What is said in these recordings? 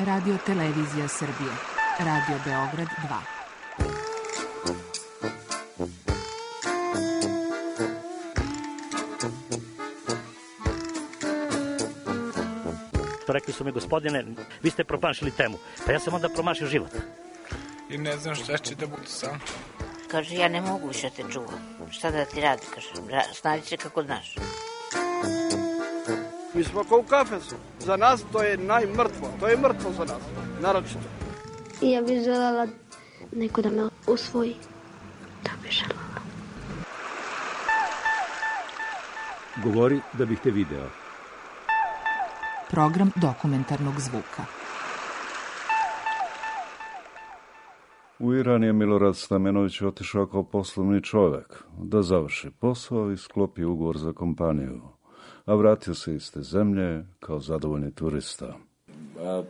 Radio Televizija Srbije. Radio Beograd 2. Rekli su mi, gospodine, vi ste promašili temu. Pa ja sam onda promašio život. I ne znam šta će da bude sam. Kaže, ja ne mogu više te čuvam. Šta da ti radi, kaže, snađi se kako znaš. Mi smo kao u kafesu. Za nas to je najmrtvo. To je mrtvo za nas, naročito. I ja bih želela neko da me usvoji. Da bih želela. Govori da bih te video. Program dokumentarnog zvuka. U Iran je Milorad Stamenović otišao kao poslovni čovjek da završi posao i sklopi ugovor za kompaniju, a vratio se iz te zemlje kao zadovoljni turista.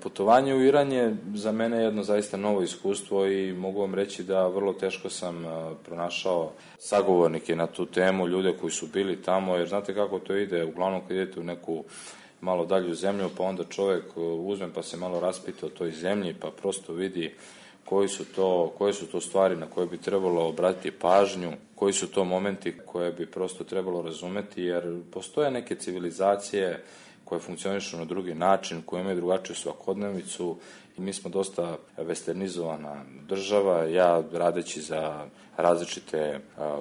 Putovanje u Iran je za mene jedno zaista novo iskustvo i mogu vam reći da vrlo teško sam pronašao sagovornike na tu temu, ljude koji su bili tamo, jer znate kako to ide, uglavnom kad idete u neku malo dalju zemlju, pa onda čovjek uzme pa se malo raspita o toj zemlji, pa prosto vidi koje su to stvari na koje bi trebalo obratiti pažnju, koji su to momenti koje bi prosto trebalo razumeti, jer postoje neke civilizacije koje funkcionišu na drugi način, koje imaju drugačiju svakodnevicu i mi smo dosta westernizovana država. Ja radeći za različite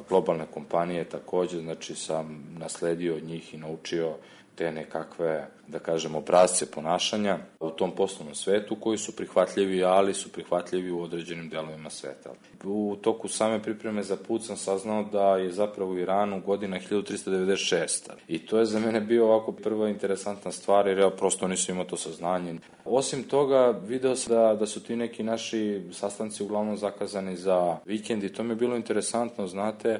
globalne kompanije također, znači sam nasledio od njih i naučio te nekakve, da kažem, obrasce ponašanja u tom poslovnom svetu koji su prihvatljivi, ali su prihvatljivi u određenim delovima sveta. U toku same pripreme za put sam saznao da je zapravo u Iranu godina 1396. I to je za mene bio ovako prva interesantna stvar, jer ja prosto nisam imao to saznanje. Osim toga, video sam da su ti neki naši sastanci uglavnom zakazani za vikend i to mi je bilo interesantno, znate,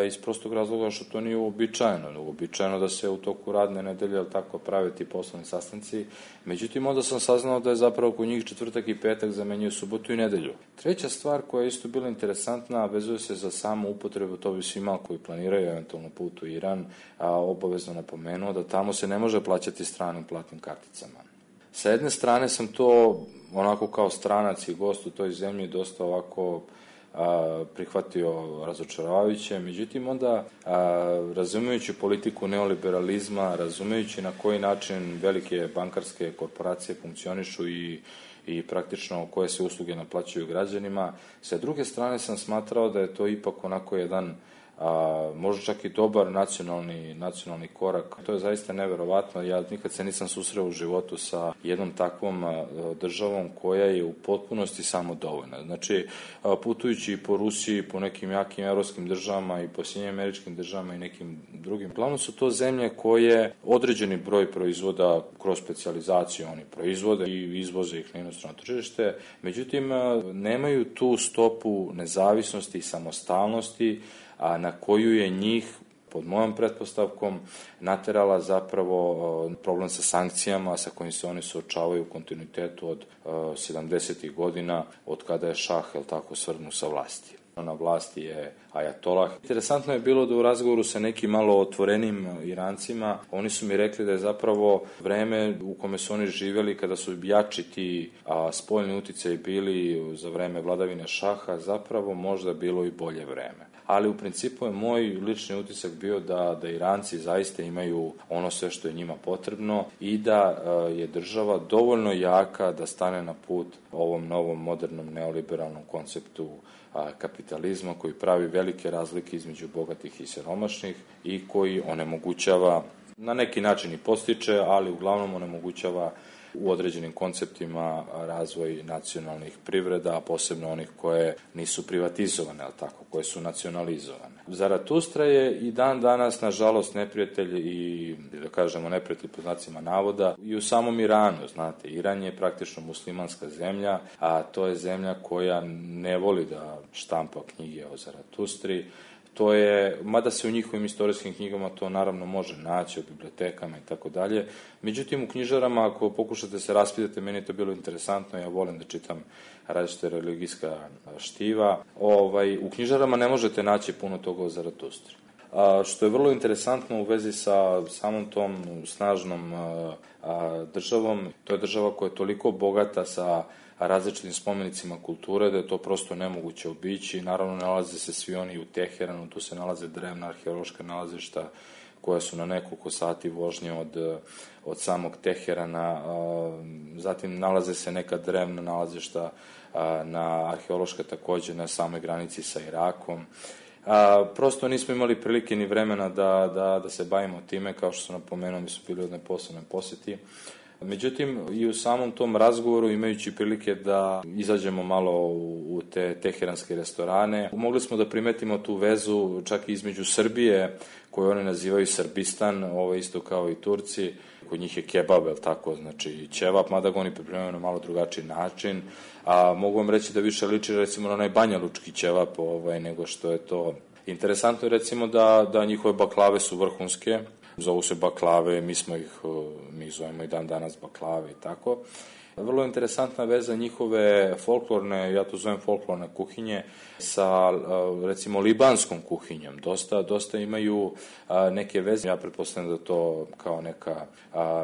iz prostog razloga što to nije uobičajeno. Uobičajeno da se u toku radne nedelje tako prave ti poslovni sastanci. Međutim, onda sam saznao da je zapravo kod njih četvrtak i petak zamenjuju subotu i nedelju. Treća stvar koja je isto bila interesantna, vezuje se za samu upotrebu, to bi svima koji planiraju eventualno put u Iran, obavezno napomenuo da tamo se ne može plaćati stranim platnim karticama. Sa jedne strane sam to onako kao stranac i gost u toj zemlji dosta ovako prihvatio razočaravajuće, međutim onda razumijući politiku neoliberalizma, razumijući na koji način velike bankarske korporacije funkcionišu i praktično koje se usluge naplaćuju građanima, sa druge strane sam smatrao da je to ipak onako jedan možda čak i dobar nacionalni korak. To je zaista neverovatno. Ja nikad se nisam susreo u životu sa jednom takvom državom koja je u potpunosti samodovoljna. Znači, putujući po Rusiji, po nekim jakim evropskim državama i po Sjedinjenim Američkim državama i nekim drugim, glavno su to zemlje koje određeni broj proizvoda kroz specijalizaciju oni proizvode i izvoze ih na inostrano tržište, međutim nemaju tu stopu nezavisnosti i samostalnosti na koju je njih, pod mojom pretpostavkom, naterala zapravo problem sa sankcijama sa kojim se oni suočavaju u kontinuitetu od 70. godina, od kada je šah, svrgnut sa vlasti. Na vlasti je ajatolah. Interesantno je bilo da u razgovoru sa nekim malo otvorenim Irancima, oni su mi rekli da je zapravo vreme u kome su oni živjeli, kada su jači ti spoljni uticaji bili za vreme vladavine šaha, zapravo možda bilo i bolje vreme. Ali u principu je moj lični utisak bio da Iranci zaista imaju ono sve što je njima potrebno i da je država dovoljno jaka da stane na put ovom novom modernom neoliberalnom konceptu kapitalizma koji pravi velike razlike između bogatih i siromašnih i koji onemogućava, na neki način i postiče, ali uglavnom onemogućava u određenim konceptima razvoj nacionalnih privreda, a posebno onih koje nisu privatizovane, koje su nacionalizovane. Zaratustra je i dan danas, nažalost, neprijatelj i, da kažemo, neprijatelj po znacima navoda i u samom Iranu, znate, Iran je praktično muslimanska zemlja, a to je zemlja koja ne voli da štampa knjige o Zaratustri. To je, mada se u njihovim istorijskim knjigama to naravno može naći, u bibliotekama i tako dalje. Međutim, u knjižarama, ako pokušate se raspitati, meni je to bilo interesantno, ja volim da čitam različite religijska štiva. U knjižarama ne možete naći puno toga o Zaratustri. što je vrlo interesantno u vezi sa samom tom snažnom državom. To je država koja je toliko bogata sa različitim spomenicima kulture da je to prosto nemoguće obići. Naravno, nalaze se svi oni u Teheranu, tu se nalaze drevna arheološka nalazišta koja su na nekoliko sati vožnje od samog Teherana. Zatim nalaze se neka drevna nalazišta na arheološka takođe na samoj granici sa Irakom. Prosto nismo imali prilike ni vremena da se bavimo time, kao što sam napomenuo, mi su bili u jednoj posebnoj poseti. Međutim, i u samom tom razgovoru, imajući prilike da izađemo malo u te teheranske restorane, mogli smo da primetimo tu vezu čak i između Srbije, koju oni nazivaju Srbistan, ovo isto kao i Turci, kod njih je kebab, je tako, znači ćevap, mada ga oni pripremaju na malo drugačiji način, a mogu vam reći da više liči recimo na onaj banjalučki ćevap nego što je to. Interesantno je recimo da njihove baklave su vrhunske, zovu se baklave, mi zovemo i dan danas baklave i tako. Vrlo interesantna veza njihove folklorne, ja to zovem folklorne kuhinje, sa recimo libanskom kuhinjom. Dosta imaju neke veze. Ja pretpostavljam da to kao neka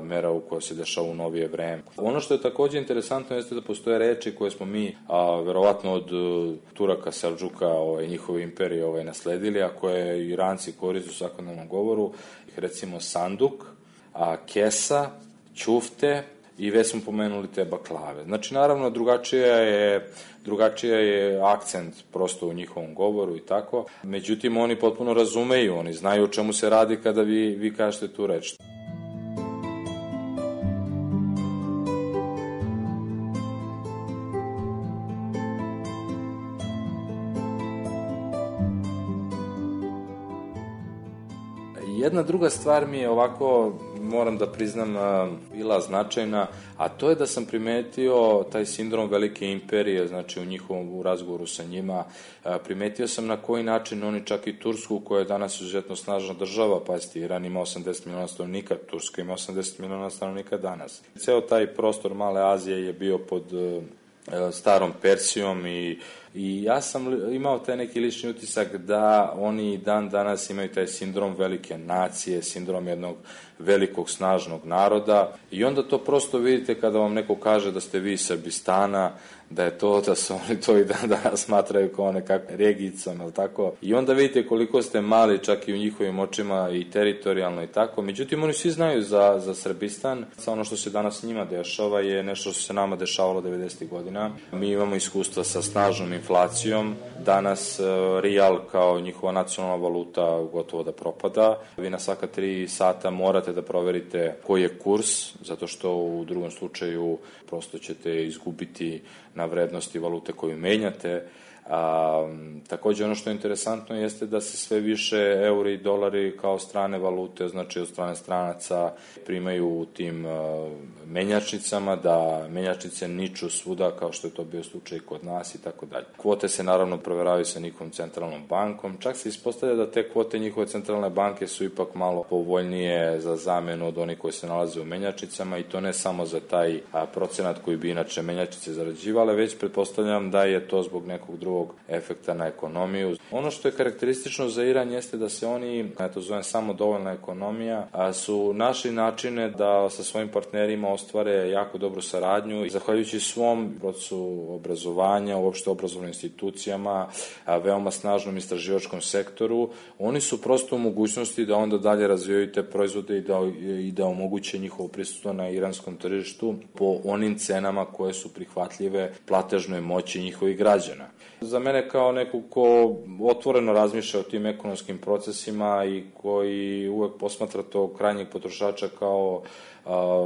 mera u kojoj se dešava u novije vreme. Ono što je takođe interesantno jeste da postoje reči koje smo mi verovatno od Turaka, Selđuka, njihove imperije nasledili, a koje Iranci koriste u svakodnevnom govoru. Recimo sanduk, kesa, ćufte, i već smo pomenuli te baklave. Znači, naravno, drugačija je akcent prosto u njihovom govoru i tako. Međutim, oni potpuno razumeju, oni znaju o čemu se radi kada vi kažete tu reč. Jedna druga stvar mi je ovako, moram da priznam, bila značajna, a to je da sam primetio taj sindrom velike imperije, znači u razgovoru sa njima, primetio sam na koji način oni čak i Tursku, koja je danas izuzetno snažna država, pazite, Iran ima 80 miliona stanovnika, Turska ima 80 miliona stanovnika danas. Ceo taj prostor Male Azije je bio pod starom Persijom i ja sam imao taj neki lični utisak da oni dan danas imaju taj sindrom velike nacije, sindrom jednog velikog snažnog naroda i onda to prosto vidite kada vam neko kaže da ste vi iz Srbistana, da su oni to i dan danas smatraju kao nekakvom regijicom, ili tako? I onda vidite koliko ste mali čak i u njihovim očima i teritorijalno i tako. Međutim, oni svi znaju za Srbistan. Ono što se danas njima dešava je nešto što se nama dešavalo 90. godina. Mi imamo iskustva sa snažnom inflacijom. Danas rijal kao njihova nacionalna valuta gotovo da propada. Vi na svaka 3 sata morate da proverite koji je kurs, zato što u drugom slučaju prosto ćete izgubiti na vrednosti valute koju menjate. Takođe, ono što je interesantno jeste da se sve više euri i dolari kao strane valute, znači od strane stranaca, primaju u tim menjačnicama, da menjačnice niču svuda kao što je to bio slučaj kod nas i tako dalje. Kvote se naravno proveravaju sa njihovom centralnom bankom, čak se ispostavlja da te kvote njihove centralne banke su ipak malo povoljnije za zamenu od onih koji se nalaze u menjačnicama i to ne samo za taj procenat koji bi inače menjačnice zarađivale, već pretpostavljam da je to zbog nekog drugog efekta na ekonomiju. Ono što je karakteristično za Iran jeste da se oni, ja to zovem samodovoljna ekonomija, su našli načine da sa svojim partnerima ostvare jako dobru saradnju i zahvaljujući svom procesu obrazovanja, uopšte obrazovnim institucijama, veoma snažnom istraživačkom sektoru, oni su prosto u mogućnosti da onda dalje razvijaju te proizvode i da omoguće njihovo prisustvo na iranskom tržištu po onim cenama koje su prihvatljive platežnoj moći njihovih građana. Za mene kao neko ko otvoreno razmišlja o tim ekonomskim procesima i koji uvek posmatra tog krajnjeg potrošača kao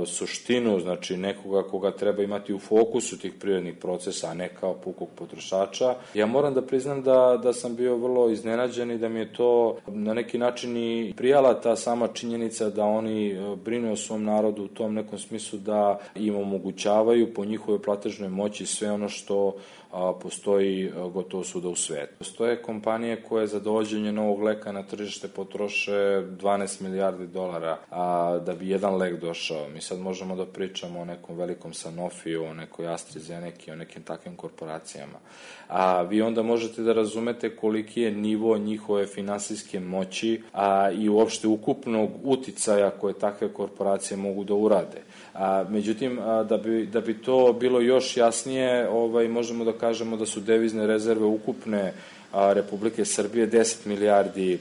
suštinu, znači nekoga koga treba imati u fokusu tih privrednih procesa, a ne kao pukog potrošača. Ja moram da priznam da sam bio vrlo iznenađen i da mi je to na neki način i prijala ta sama činjenica da oni brinu o svom narodu u tom nekom smislu da im omogućavaju po njihovoj platežnoj moći sve ono što postoji gotovo svuda u svetu. Postoje kompanije koje za dovođenje novog leka na tržište potroše $12 milijardi, a da bi jedan lek došao. došao. Mi sad možemo da pričamo o nekom velikom Sanofiju, o nekoj AstraZeneki, o nekim takvim korporacijama. A vi onda možete da razumete koliki je nivo njihove finansijske moći i uopšte ukupnog uticaja koje takve korporacije mogu da urade. Međutim, da bi to bilo još jasnije, možemo da kažemo da su devizne rezerve ukupne Republike Srbije 10 milijardi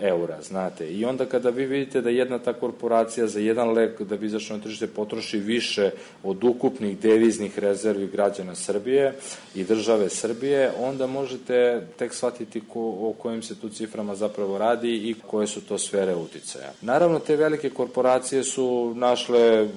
eura, znate. I onda kada vi vidite da jedna ta korporacija za jedan lek da bi izašao na tržište potroši više od ukupnih deviznih rezervi građana Srbije i države Srbije, onda možete tek shvatiti o kojim se tu ciframa zapravo radi i koje su to sfere uticaja. Naravno, te velike korporacije su našle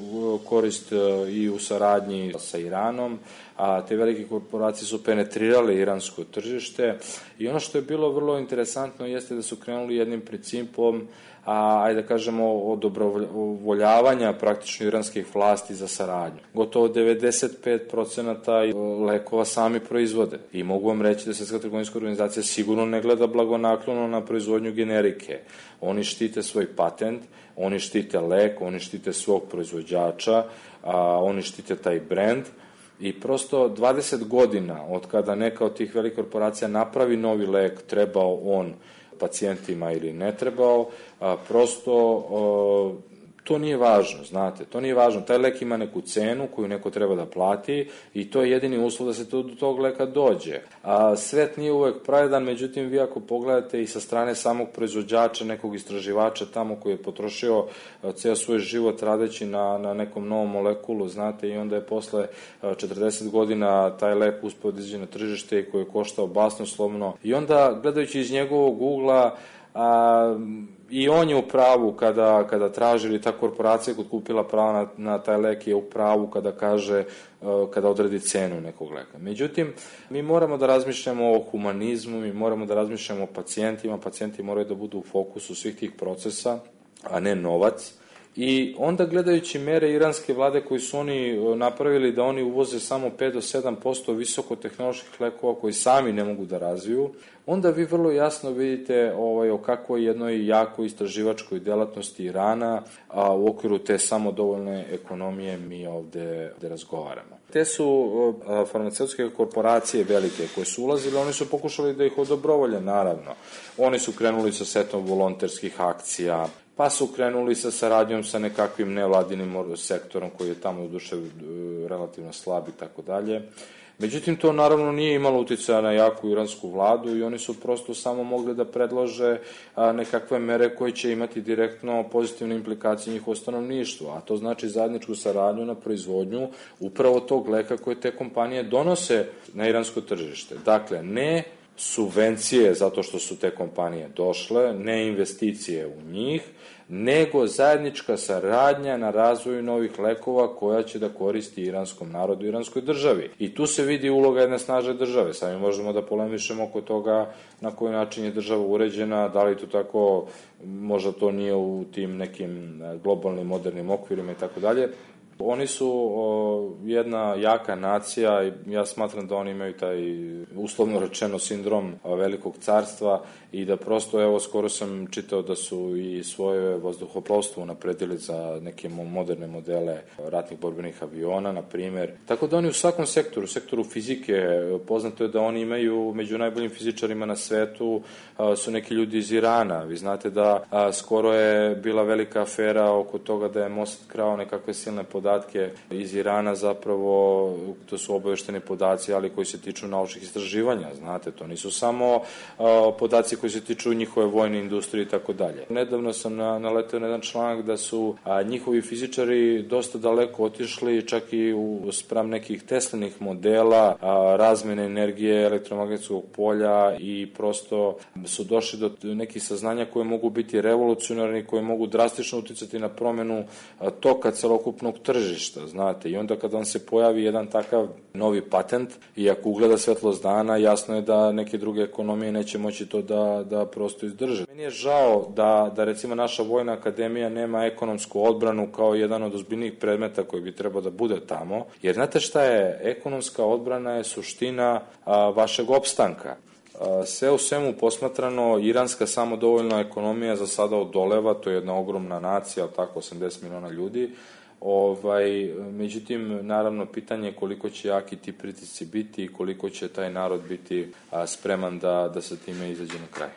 korist i u saradnji sa Iranom, a te velike korporacije su penetrirale iransko tržište i ono što je bilo vrlo interesantno jeste da su krenuli jednim principom, ajde da kažemo, odobrovoljavanja praktično iranskih vlasti za saradnju. Gotovo 95% lekova sami proizvode i mogu vam reći da Svetska trgovinska organizacija sigurno ne gleda blagonaklono na proizvodnju generike. Oni štite svoj patent, oni štite lek, oni štite svog proizvođača, oni štite taj brend. I prosto 20 godina od kada neka od tih velikih korporacija napravi novi lek, trebao on pacijentima ili ne trebao, prosto to nije važno, znate, to nije važno. Taj lek ima neku cenu koju neko treba da plati i to je jedini uslov da se do tog leka dođe. Svet nije uvek pravedan, međutim, vi ako pogledate i sa strane samog proizvođača, nekog istraživača tamo koji je potrošio ceo svoj život radeći na nekom novom molekulu, znate, i onda je posle 40 godina taj lek uspeo da izađe na tržište i koji je koštao basnoslovno. I onda, gledajući iz njegovog ugla, i on je u pravu kada traži, ili ta korporacija kod kupila pravo na taj lek je u pravu kada kaže, kada odredi cenu nekog leka. Međutim, mi moramo da razmišljamo o humanizmu, mi moramo da razmišljamo o pacijentima, pacijenti moraju da budu u fokusu svih tih procesa, a ne novac. I onda gledajući mere iranske vlade koji su oni napravili da oni uvoze samo 5 do 7% visokotehnoloških lekova koji sami ne mogu da razviju, onda vi vrlo jasno vidite o kakvoj jednoj jakoj istraživačkoj delatnosti Irana u okviru te samodovoljne ekonomije mi ovde razgovaramo. Te su farmaceutske korporacije velike koje su ulazile, oni su pokušali da ih odobrovolje, naravno. Oni su krenuli sa setom volonterskih akcija, pa su krenuli sa saradnjom sa nekakvim nevladinim sektorom koji je tamo u duše relativno slab i tako dalje. Međutim, to naravno nije imalo uticaja na jaku iransku vladu i oni su prosto samo mogli da predlože nekakve mere koje će imati direktno pozitivne implikacije njihovo stanovništvo, a to znači zajedničku saradnju na proizvodnju upravo tog leka koje te kompanije donose na iransko tržište. Dakle, ne subvencije zato što su te kompanije došle, ne investicije u njih, nego zajednička saradnja na razvoju novih lekova koja će da koristi iranskom narodu i iranskoj državi. I tu se vidi uloga jedne snažne države. Sami možemo da polemišemo oko toga na koji način je država uređena, da li to tako, možda to nije u tim nekim globalnim modernim okvirima i tako dalje. Oni su jedna jaka nacija i ja smatram da oni imaju taj, uslovno rečeno, sindrom velikog carstva i da prosto, evo, skoro sam čitao da su i svoje vazduhoplovstvo unapredili za neke moderne modele ratnih borbenih aviona, na primer. Tako da oni u svakom sektoru, sektoru fizike, poznato je da oni imaju među najboljim fizičarima na svetu su neki ljudi iz Irana. Vi znate da skoro je bila velika afera oko toga da je Mossad krao nekakve silne podatke iz Irana, zapravo to su obavešteni podaci, ali koji se tiču naučnih istraživanja, znate, to nisu samo podaci koji se tiču njihove vojne industrije i tako dalje. Nedavno sam naleteo na jedan članak da su njihovi fizičari dosta daleko otišli, čak i spram nekih Teslinih modela, razmene energije, elektromagnetskog polja i prosto su došli do nekih saznanja koje mogu biti revolucionarni, koje mogu drastično uticati na promenu toka celokupnog tržišta, znate. I onda kada vam se pojavi jedan takav novi patent i ako ugleda svetlost dana, jasno je da neke druge ekonomije neće moći to da prosto izdrže. Meni je žao da recimo naša vojna akademija nema ekonomsku odbranu kao jedan od ozbiljnijih predmeta koji bi trebao da bude tamo, jer znate šta je? Ekonomska odbrana je suština vašeg opstanka. Sve u svemu posmatrano, iranska samodovoljna ekonomija za sada odoleva, to je jedna ogromna nacija, tako 80 miliona ljudi. Međutim, naravno, pitanje je koliko će jaki ti pritisci biti i koliko će taj narod biti spreman da sa time izađe na kraj.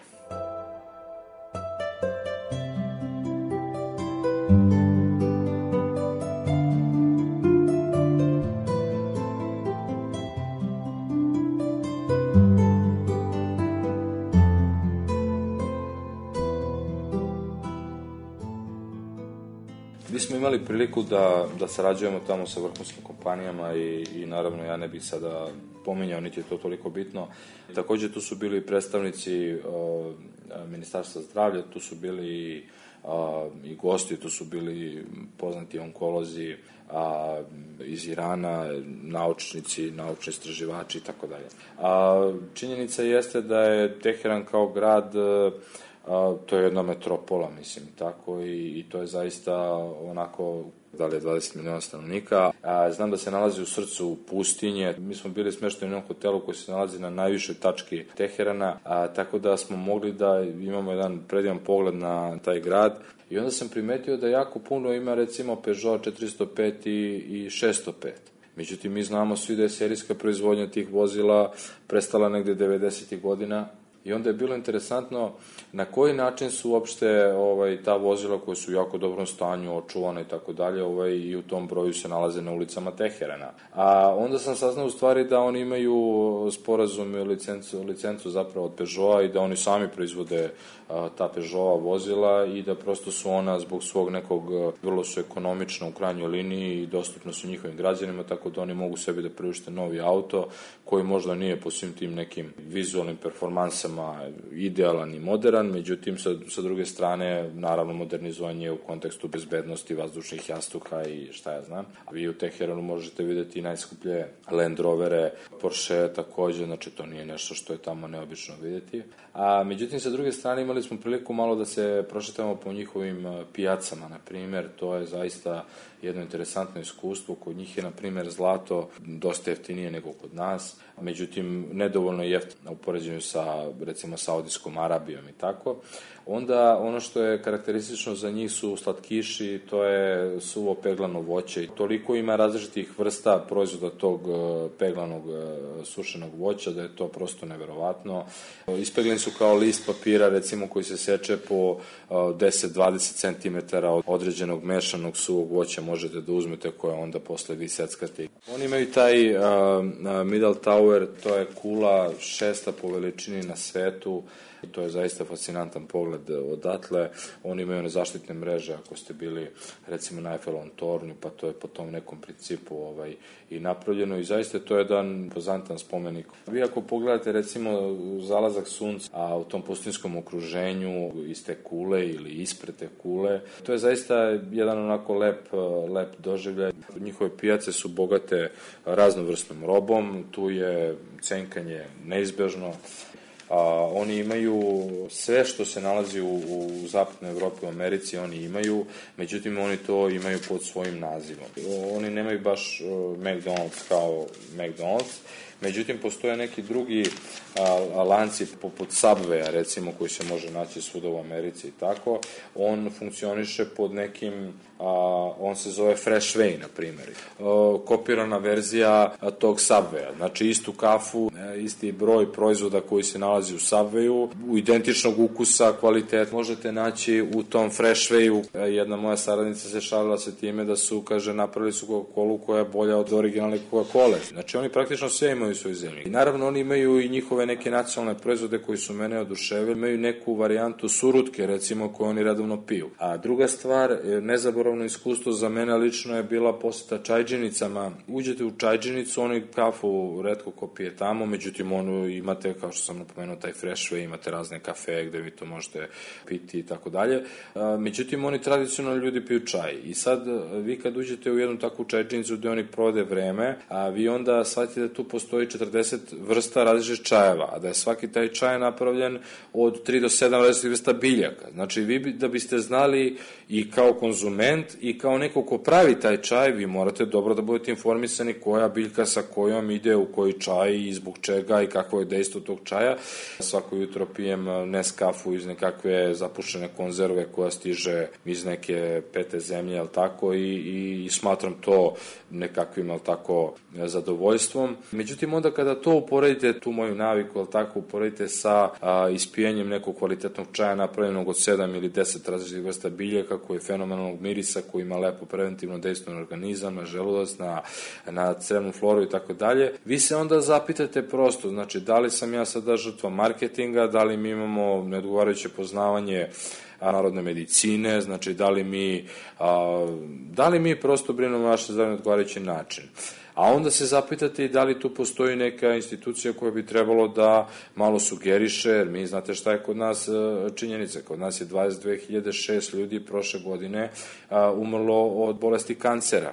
Mi smo imali priliku da sarađujemo tamo sa vrhunskim kompanijama i naravno ja ne bih sada pominjao, niti je to toliko bitno. Takođe tu su bili predstavnici Ministarstva zdravlja, tu su bili i gosti, tu su bili poznati onkolozi iz Irana, naučnici, naučni istraživači i tako dalje. Činjenica jeste da je Teheran kao grad, to je jedna metropola, mislim, tako, i to je zaista onako, da li je 20 miliona stanovnika. Znam da se nalazi u srcu pustinje. Mi smo bili smešteni u jednom hotelu koji se nalazi na najvišoj tački Teherana, tako da smo mogli da imamo jedan predivan pogled na taj grad. I onda sam primetio da jako puno ima, recimo, Peugeot 405 i 605. Međutim, mi znamo svi da je serijska proizvodnja tih vozila prestala negde 90. godina. I onda je bilo interesantno na koji način su uopšte ta vozila koja su u jako dobrom stanju, očuvana i tako dalje, i u tom broju se nalaze na ulicama Teherana. A onda sam saznao u stvari da oni imaju sporazum i licencu zapravo od Peugeota i da oni sami proizvode ta Peugeotova vozila i da prosto su ona zbog svog nekog, vrlo su ekonomična u krajnjoj liniji i dostupno su njihovim građanima, tako da oni mogu sebi da priušte novi auto koji možda nije po svim tim nekim vizualnim performansama idealan i modern, međutim sa druge strane naravno modernizovanje u kontekstu bezbednosti, vazdušnih jastuka i šta ja znam. Vi u Teheranu možete videti najskuplje Land Rovere, Porsche takođe, znači to nije nešto što je tamo neobično videti. Međutim, sa druge strane imali smo priliku malo da se prošetamo po njihovim pijacama, na primer, to je zaista jedno interesantno iskustvo. Kod njih je, na primer, zlato dosta jeftinije nego kod nas, međutim, nedovoljno jeftino u poređenju sa, recimo, Saudijskom Arabijom i tako. Onda, ono što je karakteristično za njih su slatkiši, to je suvo peglano voće. Toliko ima različitih vrsta proizvoda tog peglanog sušenog voća da je to prosto neverovatno. Ispegleni su kao list papira, recimo, koji se seče po 10-20 cm od određenog mešanog suvog voća možete da uzmete, koje onda posle vi seckate. Oni imaju taj Middle Tower, to je kula 6. po veličini na svetu. To je zaista fascinantan pogled odatle. Oni imaju nezaštitne mreže, ako ste bili recimo na Eiffelovom tornju, pa to je po tom nekom principu i napravljeno i zaista to je jedan impozantan spomenik. Vi ako pogledate recimo zalazak sunca, a u tom pustinskom okruženju iz te kule ili ispred te kule, to je zaista jedan onako lep doživljaj. Njihove pijace su bogate raznovrsnom robom, tu je cenkanje neizbežno. Oni imaju sve što se nalazi u zapadnoj Evropi, u Americi, oni imaju, međutim oni to imaju pod svojim nazivom. Oni nemaju baš McDonald's kao McDonald's, međutim postoje neki drugi lanci poput Subwaya, recimo, koji se može naći svuda u Americi i tako. On funkcioniše pod nekim, on se zove Fresh Way, na primjer. Kopirana verzija tog Subwaya. Znači istu kafu, isti broj proizvoda koji se nalazi u Subwayu, u identičnog ukusa, kvalitet, možete naći u tom Fresh Wayu. Jedna moja saradnica se šalila sa time da su, kaže, napravili su Coca-Colu koja je bolja od originalne Coca-Cole. Znači oni praktično sve imaju u svojoj zemlji. I naravno oni imaju i njihove neke nacionalne proizvode koji su mene oduševili. Imaju neku varijantu surutke, recimo, koju oni redovno piju. A druga stvar, nezaboravno iskustvo za mene lično je bila poseta čajđenicama. Uđete u čajđenicu, oni kafu retko ko pije tamo, međutim onu imate, kao što sam napomenuo, taj Fresh Way, imate razne kafe gde vi to možete piti i tako dalje. Međutim, oni tradicionalno ljudi piju čaj. I sad, vi kad uđete u jednu takvu čajđenicu gde oni provode vreme, a vi onda shvatite da tu postoji 40 vrsta različitih čajeva, a da je svaki taj čaj napravljen od 3 do 7 različitih vrsta biljaka. Znači, vi da biste znali i kao konzument konzument i kao neko ko pravi taj čaj, vi morate dobro da budete informisani koja biljka sa kojom ide u koji čaj i zbog čega i kakvo je dejstvo tog čaja. Svako jutro pijem Nescafu iz nekakve zapušene konzerve koja stiže iz neke pete zemlje, jel tako, i smatram to nekakvim, jel tako, zadovoljstvom. Međutim, onda kada to uporedite, tu moju naviku, jel tako, uporedite sa ispijanjem nekog kvalitetnog čaja napravljenog od 7 ili 10 različitih vrsta biljaka, koji je fenomenalnog mirisa, koji ima lepo preventivno dejstvo na organizam, na želudac, na crevnu floru i tako dalje, vi se onda zapitate prosto, znači, da li sam ja sada žrtva marketinga, da li mi imamo neodgovarajuće poznavanje narodne medicine, znači da li mi prosto brinemo naše zdravlje na odgovarajući način. A onda se zapitate i da li tu postoji neka institucija koja bi trebalo da malo sugeriše, jer mi znate šta je kod nas činjenica. Kod nas je 22.006 ljudi prošle godine umrlo od bolesti kancera.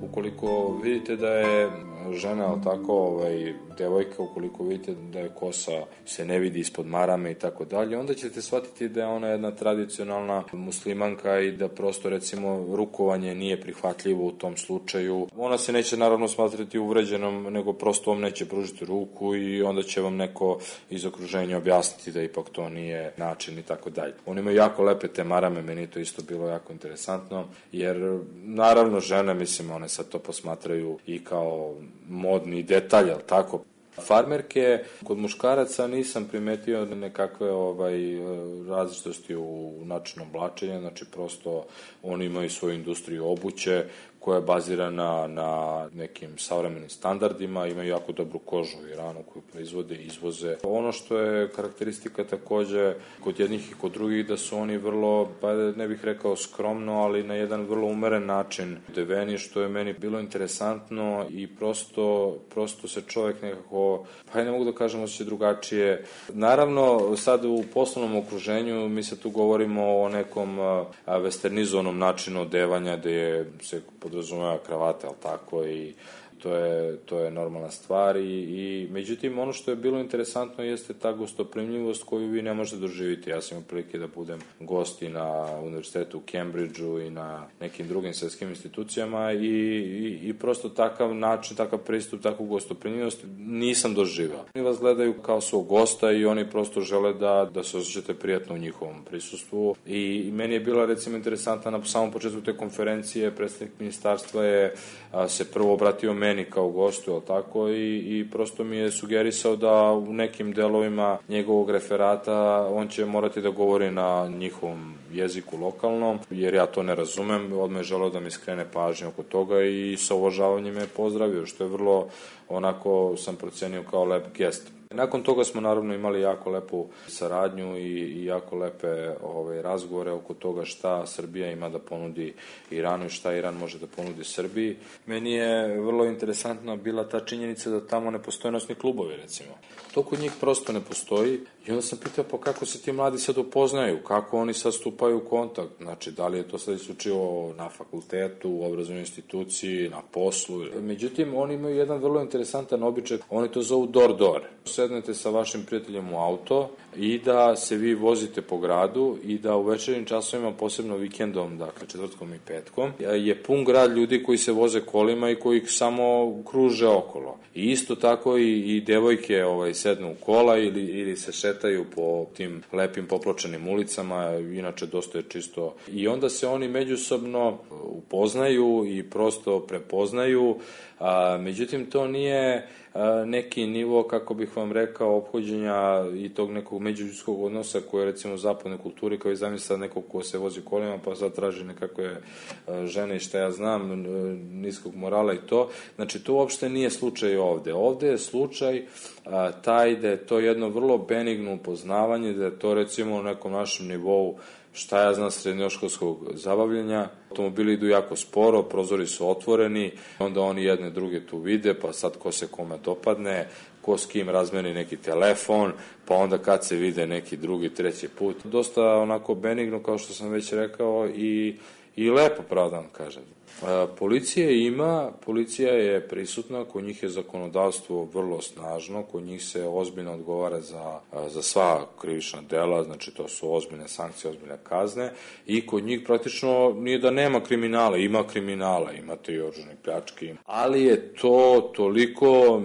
Ukoliko vidite da je žena, ali tako, devojka, ukoliko vidite da je kosa se ne vidi ispod marame i tako dalje, onda ćete shvatiti da je ona jedna tradicionalna muslimanka i da prosto, recimo, rukovanje nije prihvatljivo u tom slučaju. Ona se neće naravno smatrati uvređenom, nego prosto vam neće pružiti ruku i onda će vam neko iz okruženja objasniti da ipak to nije način i tako dalje. Oni imaju jako lepe te marame, meni to isto bilo jako interesantno, jer naravno žene, mislim, one sad to posmatraju i kao modni detalj, ali tako. Farmerke, kod muškaraca nisam primetio nekakve različitosti u načinu oblačenja, znači prosto oni imaju svoju industriju obuće koja je bazirana na nekim savremenim standardima, imaju jako dobru kožu u Iranu koju proizvode i izvoze. Ono što je karakteristika takođe kod jednih i kod drugih, da su oni vrlo, ne bih rekao skromno, ali na jedan vrlo umeren način odeveni, što je meni bilo interesantno i prosto se čovek nekako, ne mogu da kažem, osjeća drugačije. Naravno, sad u poslovnom okruženju mi se tu govorimo o nekom westernizovanom načinu odevanja gde se podrazumeva kravata, ali tako, i to je normalna stvar i međutim ono što je bilo interesantno jeste ta gostoprimljivost koju vi ne možete doživjeti. Ja sam imao prilike da budem gost i na univerzitetu u Cambridgeu i na nekim drugim svetskim institucijama i prosto takav način, takav pristup, takvu gostoprimljivost nisam doživao. Oni vas gledaju kao svog gosta i oni prosto žele da se osjećate prijatno u njihovom prisustvu i meni je bila, recimo, interesantna na samom početku te konferencije, predstavnik ministarstva je se prvo obratio meni kao gostu, jel tako, i prosto mi je sugerisao da u nekim delovima njegovog referata on će morati da govori na njihovom jeziku lokalnom, jer ja to ne razumem. Odmah je želeo da mi skrene pažnju oko toga i sa uvažavanjem me pozdravio, što je vrlo, onako sam procenio kao lep gest. Nakon toga smo naravno imali jako lepu saradnju i jako lepe razgovore oko toga šta Srbija ima da ponudi Iranu i šta Iran može da ponudi Srbiji. Meni je vrlo interesantna bila ta činjenica da tamo ne postoje noćni klubovi, recimo. To kod njih prosto ne postoji i onda sam pitao pa kako se ti mladi sad upoznaju, kako oni sad stupaju u kontakt, znači da li je to sad isključivo na fakultetu, u obrazovnoj instituciji, na poslu. Međutim, oni imaju jedan vrlo interesantan običaj, oni to zovu door-door. Sednete sa vašim prijateljem u auto i da se vi vozite po gradu i da u večernjim časovima, posebno vikendom, dakle četvrtkom i petkom, je pun grad ljudi koji se voze kolima i koji samo kruže okolo. I isto tako i devojke sednu u kola ili se šetaju po tim lepim popločenim ulicama, inače dosta je čisto. I onda se oni međusobno upoznaju i prosto prepoznaju, međutim to nije neki nivo, kako bih vam rekao, ophođenja i tog nekog međuljudskog odnosa koje je recimo u zapadnoj kulturi, kao i zamisla nekog ko se vozi kolima pa sad traži nekakve žene i šta ja znam, niskog morala i to. Znači to uopšte nije slučaj ovde. Ovde je slučaj taj da je to jedno vrlo benigno upoznavanje, da je to recimo u nekom našem nivou šta ja znam, srednjoškolskog zabavljenja. Automobili idu jako sporo, prozori su otvoreni, onda oni jedne druge tu vide, pa sad ko se kome dopadne, ko s kim razmeni neki telefon, pa onda kad se vide neki drugi, treći put. Dosta onako benigno, kao što sam već rekao, i lepo, pravo da vam kažem. Policije ima, policija je prisutna, kod njih je zakonodavstvo vrlo snažno, kod njih se ozbiljno odgovara za sva krivična dela, znači to su ozbiljne sankcije, ozbiljne kazne, i kod njih praktično nije da nema kriminala, ima kriminala, imate i oružane pljačke, ali je to toliko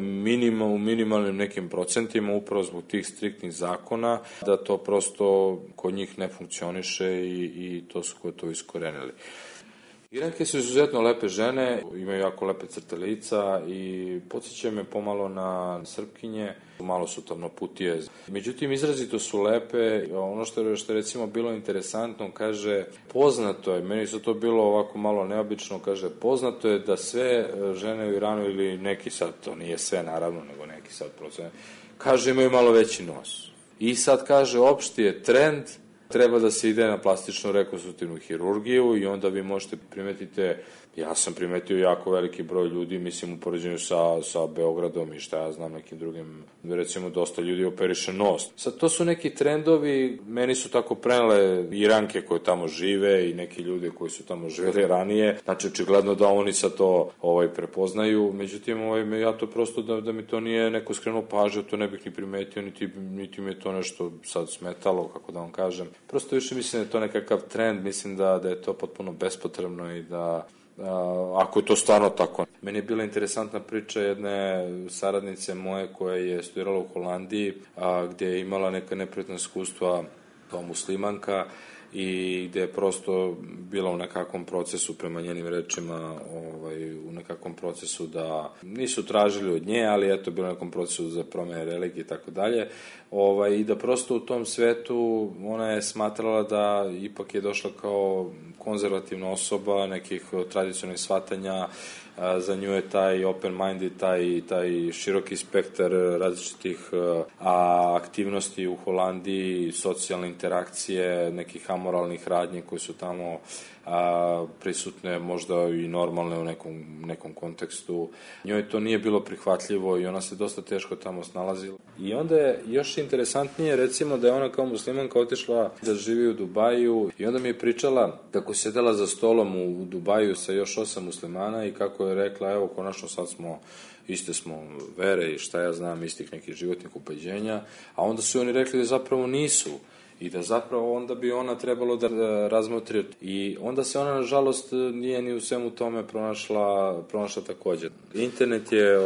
u minimalnim nekim procentima, upravo zbog tih striktnih zakona, da to prosto kod njih ne funkcioniše i to su kod to iskorenili. Iranke su izuzetno lepe žene, imaju jako lepe crte lica i podsjećaju me pomalo na Srpkinje, malo su tamnoputije. Međutim, izrazito su lepe. Ono što je recimo bilo interesantno, kaže, poznato je, meni su to bilo ovako malo neobično, kaže, poznato je da sve žene u Iranu, ili neki sad, to nije sve naravno, nego neki sad procent, kaže, imaju malo veći nos. I sad kaže, opšti je trend, treba da se ide na plastičnu rekonstruktivnu hirurgiju i onda vi možete primetite, ja sam primetio jako veliki broj ljudi, mislim u poređenju sa Beogradom i šta ja znam nekim drugim, recimo dosta ljudi operiše nos. Sad to su neki trendovi, meni su tako prenele Iranke koje tamo žive i neki ljudi koji su tamo živeli ranije, znači očigledno da oni sad to prepoznaju, međutim ja to prosto da mi to nije neko skrenuo pažnju, to ne bih ni primetio, niti mi je to nešto sad smetalo, kako da vam kažem. Prosto više mislim da je to nekakav trend, mislim da je to potpuno bespotrebno i da ako je to stvarno tako. Meni je bila interesantna priča jedne saradnice moje koja je studirala u Holandiji, gdje je imala neka neprijatna iskustva kao muslimanka i gde je prosto bila u nekakvom procesu, prema njenim rečima, u nekakvom procesu da nisu tražili od nje, ali eto, bilo u nekom procesu za promjene religije i tako dalje, i da prosto u tom svetu ona je smatrala da ipak je došla kao konzervativna osoba nekih tradicionalnih shvatanja, za nju je taj open-minded, taj široki spektar različitih aktivnosti u Holandiji, socijalne interakcije, nekih amoralnih radnji koji su tamo prisutne, možda i normalne u nekom kontekstu. Njoj to nije bilo prihvatljivo i ona se dosta teško tamo snalazila. I onda je još interesantnije, recimo, da je ona kao muslimanka otišla da živi u Dubaju i onda mi je pričala kako sedela za stolom u Dubaju sa još 8 muslimana i kako je rekla, evo, konačno sad iste smo vere i šta ja znam, istih nekih životnih ubeđenja, a onda su oni rekli da zapravo nisu i da zapravo onda bi ona trebalo da razmotri. I onda se ona, nažalost, nije ni u svemu tome pronašla također. Internet je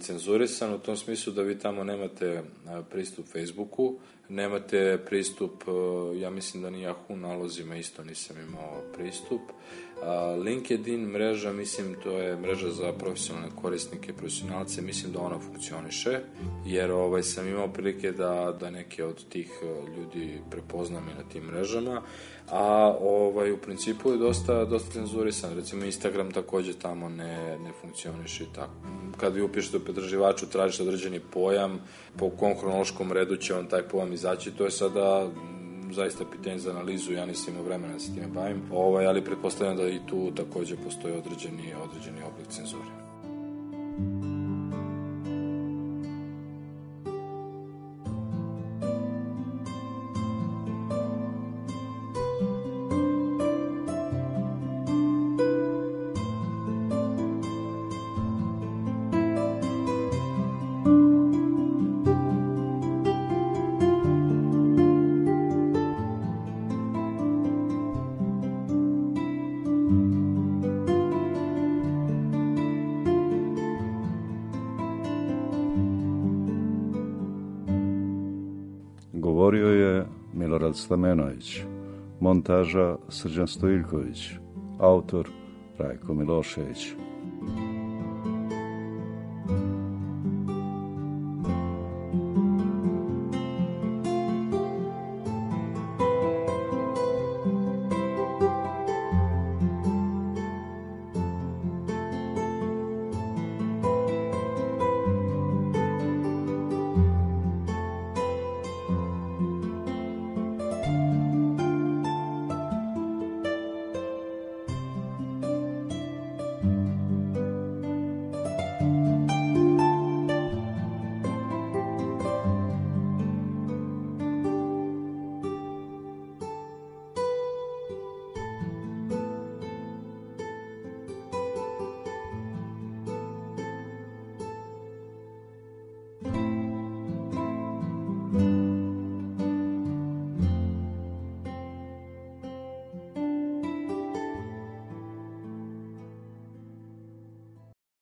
cenzurisan u tom smislu da vi tamo nemate pristup Facebooku, nemate pristup, ja mislim da ni Yahoo nalozima isto nisam imao pristup. LinkedIn mreža, mislim, to je mreža za profesionalne korisnike, profesionalce, mislim da ona funkcioniše, jer sam imao prilike da neke od tih ljudi prepoznam i na tim mrežama, a u principu je dosta cenzurisan. Recimo Instagram također tamo ne funkcioniše i tako. Kad vi upišete u pretraživaču, tražite određeni pojam, po kom hronološkom redu će on taj pojam izaći, to je sada zaista pitanje za analizu, ja nisam imao vremena da se time bavim, ali pretpostavljam da i tu također postoji određeni oblik cenzure. Govorio je Milorad Stamenović, montaža Srđan Stojiljković, autor Rajko Milošević.